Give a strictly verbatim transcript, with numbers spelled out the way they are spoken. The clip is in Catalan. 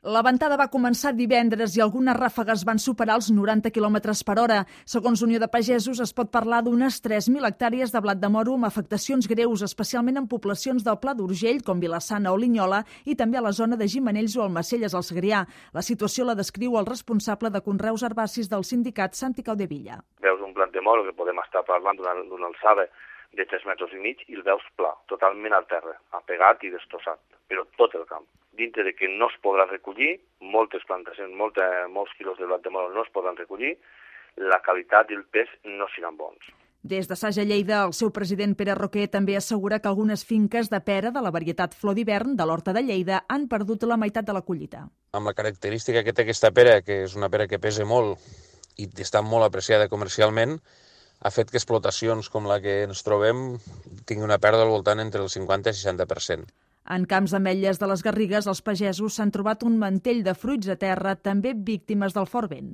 La ventada va començar divendres i algunes ràfegues van superar els noranta quilòmetres per hora. Segons Unió de Pagesos, es pot parlar d'unes tres mil hectàrees de blat de moro amb afectacions greus, especialment en poblacions del Pla d'Urgell, com Vilassana o Linyola, i també a la zona de Gimenells o Almacelles, al Segrià. La situació la descriu el responsable de conreus herbacis del sindicat Santi Caudevilla. Veus un blat de moro que podem estar parlant d'una alçada de tres metres i mig i el veus pla, totalment al terra, apegat i destrossat, però tot el camp. Dintre de que no es podrà recollir, moltes plantacions, molta, molts quilos de blat de moro no es podran recollir, la qualitat i el pes no seran bons. Des de Saja Lleida, el seu president Pere Roquer també assegura que algunes finques de pera de la varietat flor d'hivern de l'Horta de Lleida han perdut la meitat de la collita. Amb la característica que té aquesta pera, que és una pera que pesa molt i està molt apreciada comercialment, ha fet que explotacions com la que ens trobem tingui una pèrdua al voltant entre el cinquanta i seixanta per cent. En camps d'ametlles de les Garrigues, els pagesos s'han trobat un mantell de fruits a terra, també víctimes del fort vent.